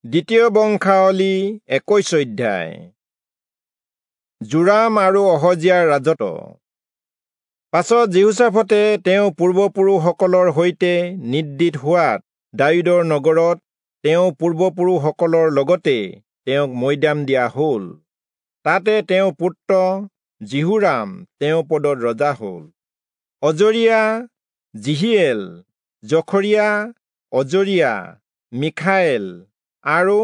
দ্বিতীয় বংশাৱলী 21 অধ্যায়। যোৰাম আৰু অহজিয়াৰ ৰাজত্ব। পাছত যিহোচাফটে তেওঁ পূৰ্বপুৰুষসকলৰ সৈতে নিদ্ৰিত হোৱাত দায়ূদৰ নগৰত তেওঁ পূৰ্বপুৰুষসকলৰ লগতে তেওঁক মৈদাম দিয়া হ'ল। তাতে তেওঁ পুত্ৰ যিহোৰাম তেওঁ পদত ৰজা হ'ল। অজৰিয়া, জিহিয়েল, জখৰিয়া, অজৰিয়া, মিখায়েল আৰু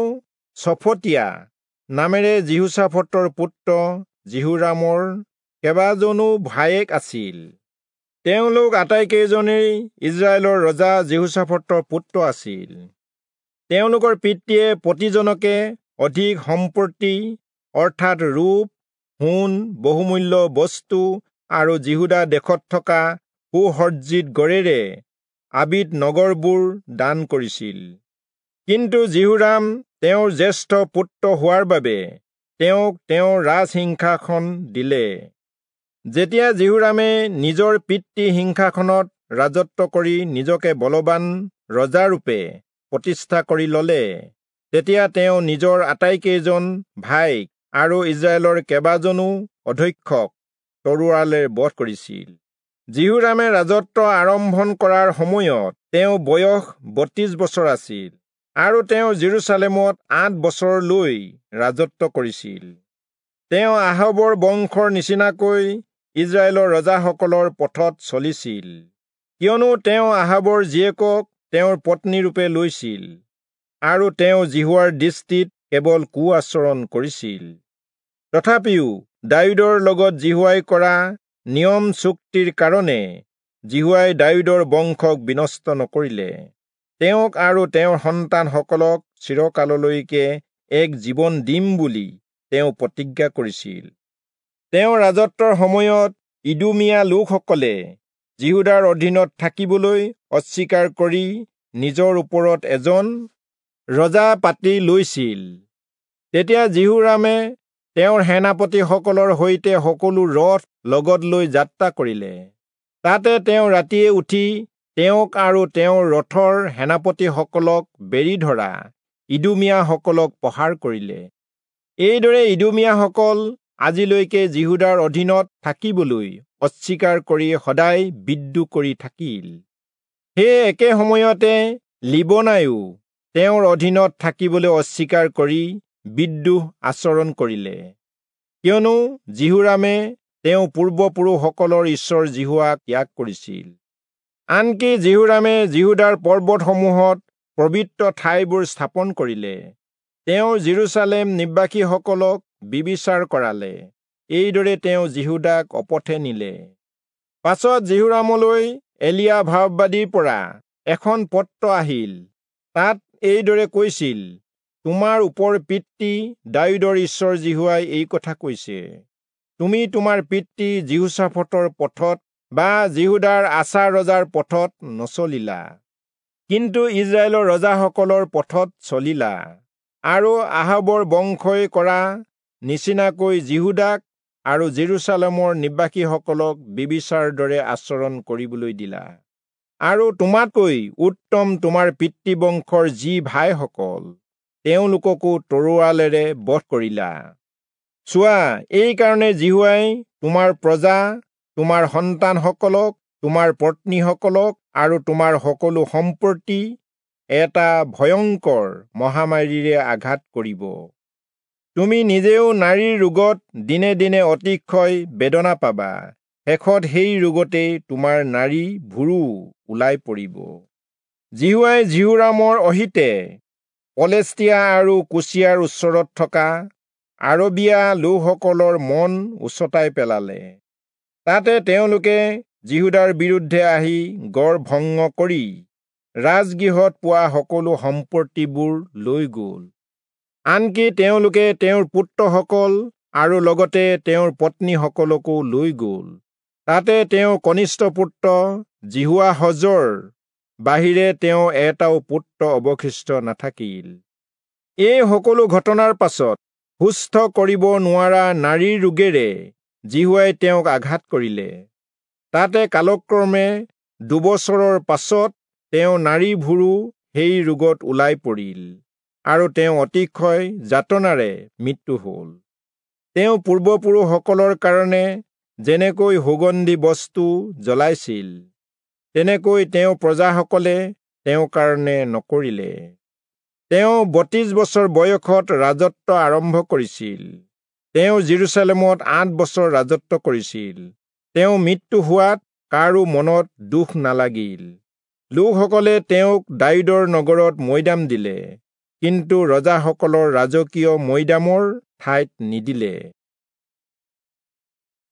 চফটীয়া নামেৰে যিহোচাফটৰ পুত্ৰ যিহোৰামৰ কেইবাজনো ভায়েক আছিল। তেওঁলোক আটাইকেইজনেই ইস্ৰায়েলৰ ৰজা যিহোচাফটৰ পুত্ৰ আছিল। তেওঁলোকৰ পিতৃয়ে প্ৰতিজনকে অধিক সম্পত্তি অৰ্থাৎ ৰূপ, সোণ, বহুমূল্য বস্তু আৰু যিহূদা দেশত থকা সুসজ্জিত গড়েৰে আবিত নগৰবোৰ দান কৰিছিল। কিন্তু যিহোৰাম তেওঁৰ জ্যেষ্ঠ পুত্ৰ হোৱাৰ বাবে তেওঁক তেওঁৰ ৰাজসিংহাসন দিলে। যেতিয়া যিহোৰামে নিজৰ পিতৃ সিংহাসনত ৰাজত্ব কৰি নিজকে বলৱান ৰজাৰূপে প্ৰতিষ্ঠা কৰি ললে, তেতিয়া তেওঁ নিজৰ আটাইকেইজন ভাইক আৰু ইস্ৰায়েলৰ কেইবাজনো অধ্যক্ষক তৰোৱালেৰে বধ কৰিছিল। যিহোৰামে ৰাজত্ব আৰম্ভণ কৰাৰ সময়ত তেওঁ বয়স 32 বছৰ আছিল আৰু তেওঁ জেৰুচালেমত 8 বছৰলৈ ৰাজত্ব কৰিছিল। তেওঁ আহাবৰ বংশৰ নিচিনাকৈ ইস্ৰায়েলৰ ৰজাসকলৰ পথত চলিছিল, কিয়নো তেওঁ আহাবৰ জীয়েকক তেওঁৰ পত্নীৰূপে লৈছিল আৰু তেওঁ যিহোৱাৰ দৃষ্টিত কেৱল কু আচৰণ কৰিছিল। তথাপিও দায়ূদৰ লগত যিহোৱাই কৰা নিয়ম চুক্তিৰ কাৰণে যিহোৱাই দায়ূদৰ বংশক বিনষ্ট নকৰিলে। তেওঁক আৰু তেওঁৰ সন্তানসকলক চিৰকাললৈকে এক জীৱন দিম বুলি তেওঁ প্ৰতিজ্ঞা কৰিছিল। তেওঁৰ ৰাজত্বৰ সময়ত ইদোমীয়া লোকসকলে যিহূদাৰ অধীনত থাকিবলৈ অস্বীকাৰ কৰি নিজৰ ওপৰত এজন ৰজা পাতি লৈছিল। তেতিয়া যিহোৰামে তেওঁৰ সেনাপতিসকলৰ সৈতে সকলো ৰথ লগত লৈ যাত্ৰা কৰিলে। তাতে তেওঁ ৰাতিয়ে উঠি তেওঁক আৰু তেওঁৰ ৰথৰ সেনাপতিসকলক বেৰি ধৰা ইদোমীয়াসকলক প্ৰহাৰ কৰিলে। এইদৰে ইদোমীয়াসকল আজিলৈকে যিহূদাৰ অধীনত থাকিবলৈ অস্বীকাৰ কৰি সদায় বিদ্ৰোহ কৰি থাকিল। সেই একে সময়তে লিবনায়ো তেওঁৰ অধীনত থাকিবলৈ অস্বীকাৰ কৰি বিদ্ৰোহ আচৰণ কৰিলে, কিয়নো যিহোৰামে তেওঁ পূৰ্বপুৰুষসকলৰ ঈশ্বৰ যিহোৱাক ত্যাগ কৰিছিল। আনকি যিহোৰামে যিহূদাৰ পৰ্বতসমূহত পবিত্ৰ ঠাইবোৰ স্থাপন কৰিলে। তেওঁ জেৰুচালেম নিবাসীসকলক বিবিচাৰ কৰালে। এইদৰে তেওঁ যিহূদাক অপথে নিলে। পাছত যিহোৰামলৈ এলিয়া ভাববাদীৰ পৰা এখন পত্ৰ আহিল। তাত এইদৰে কৈছিল, তোমাৰ ওপৰ পিতৃ দায়ূদৰ ঈশ্বৰ যিহোৱাই এই কথা কৈছে, তুমি তোমাৰ পিতৃ যিহোচাফটৰ পথত বা যিহূদাৰ আছা ৰজাৰ পথত নচলিলা, কিন্তু ইস্ৰায়েলৰ ৰজাসকলৰ পথত চলিলা আৰু আহাবৰ বংশই কৰা নিচিনাকৈ যিহূদাক আৰু জেৰুচালেমৰ নিবাসীসকলক বিবিচাৰ দৰে আচৰণ কৰিবলৈ দিলা। আৰু তোমাতকৈ উত্তম তোমাৰ পিতৃবংশৰ যি ভাইসকল, তেওঁলোককো তৰোৱালেৰে বধ কৰিলা। চোৱা, এইকাৰণে যিহোৱাই তোমাৰ প্ৰজা, তোমাৰ সন্তানসকলক, তোমাৰ পত্নীসকলক আৰু তোমাৰ সকলো সম্পত্তি এটা ভয়ংকৰ মহামাৰীৰে আঘাত কৰিব। তুমি নিজেও নাৰীৰ ৰোগত দিনে দিনে অতিশয় বেদনা পাবা। শেষত সেই ৰোগতেই তোমাৰ নাৰী ভুৰু ওলাই পৰিব। যিহোৱাই যিহোৰামৰ অহিতে পলেষ্টিয়া আৰু কুচিয়াৰ ওচৰত থকা আৰবীয়া লোকসকলৰ মন উচতাই পেলালে। তাতে তেওঁলোকে যিহূদাৰ বিৰুদ্ধে আহি গড় ভংগ কৰি ৰাজগৃহত পোৱা সকলো সম্পত্তিবোৰ লৈ গ'ল। আনকি তেওঁলোকে তেওঁৰ পুত্ৰসকল আৰু লগতে তেওঁৰ পত্নীসকলকো লৈ গ'ল। তাতে তেওঁৰ কনিষ্ঠ পুত্ৰ যিহোৱাহজৰ বাহিৰে তেওঁ এটাও পুত্ৰ অৱশিষ্ট নাথাকিল। এই সকলো ঘটনাৰ পাছত সুস্থ কৰিব নোৱাৰা নাৰীৰ ৰোগেৰে যিহোৱাই তেওঁক আঘাত কৰিলে। তাতে কালক্ৰমে 2 বছৰৰ পাছত তেওঁ নাৰী ভুৰু সেই ৰোগত ওলাই পৰিল। আৰু তেওঁ অতিশয় যাতনাৰে মৃত্যু হ'ল। তেওঁ পূৰ্বপুৰুষসকলৰ কাৰণে যেনেকৈ সুগন্ধি বস্তু জ্বলাইছিল, তেনেকৈ তেওঁ প্ৰজাসকলে তেওঁৰ কাৰণে নকৰিলে। তেওঁ 32 বছৰ বয়সত ৰাজত্ব আৰম্ভ কৰিছিল। তেওঁ যিৰূচালেমত 8 বছৰ ৰাজত্ব কৰিছিল। তেওঁ মৃত্যু হোৱাত কাৰো মনত দুখ নালাগিল। লোকসকলে তেওঁক দায়ূদৰ নগৰত মৈদাম দিলে, কিন্তু ৰজাসকলৰ ৰাজকীয় মৈদামৰ ঠাইত নিদিলে।